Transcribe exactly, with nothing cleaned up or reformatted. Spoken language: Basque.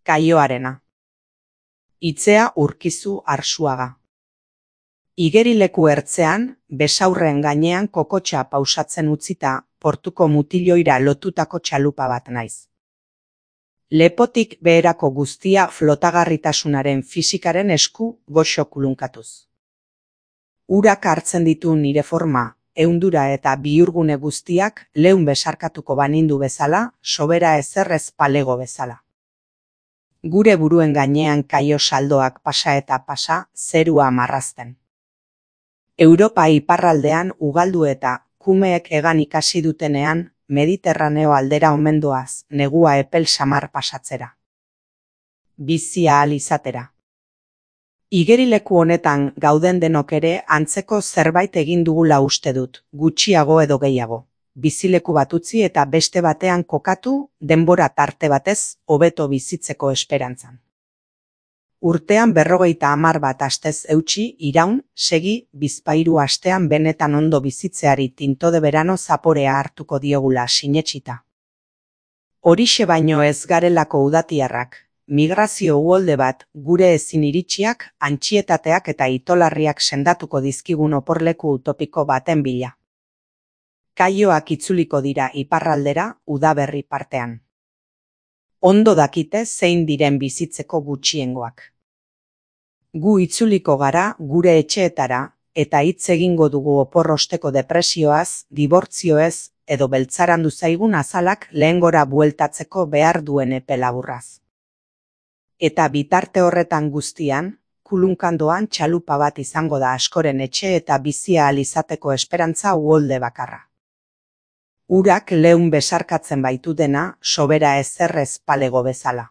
Kaioarena. Itzea Urkizu Arsuaga. Igerileku ertzean, besaurren gainean kokotxa pausatzen utzita, portuko mutiloira lotutako txalupa bat naiz. Lepotik beherako guztia flotagarritasunaren fisikaren esku goxo kulunkatuz. Urak hartzen ditu nire forma, ehundura eta bihurgune guztiak leun besarkatuko banindu bezala, sobera ezerrez palego bezala. Gure buruen gainean kaio saldoak pasa eta pasa, zerua marrazten. Europa iparraldean ugaldu eta kumeek egan ikasi dutenean, Mediterraneo aldera omendoaz, negua epel samar pasatzera. Bizi ahal izatera. Igerileku honetan gauden denok ere antzeko zerbait egin dugula uste dut, gutxiago edo gehiago. Bizileku bat utzi eta beste batean kokatu, denbora tarte batez, hobeto bizitzeko esperantzan. Urtean berrogeita hamar bat astez eutsi, iraun, segi, bizpahiru astean benetan ondo bizitzeari tinto de verano zaporea hartuko diogula sinetsita. Horixe baino ez garelako udatiarrak, migrazio uholde bat gure ezin iritsiak, antxietateak eta itolarriak sendatuko dizkigun oporleku utopiko baten bila. Kaioak itzuliko dira iparraldera udaberri partean. Ondo dakite zein diren bizitzeko gutxiengoak. Gu itzuliko gara gure etxeetara eta hitz egingo dugu oporrosteko depresioaz, dibortzioez edo beltzarandu zaigun azalak lehengora bueltatzeko behar duen epe laburraz. Eta bitarte horretan guztian, kulunkandoan txalupa bat izango da askoren etxe eta bizia ahal izateko esperantza uholde bakarra. Urak leun besarkatzen baitu dena sobera ezerrez palego bezala.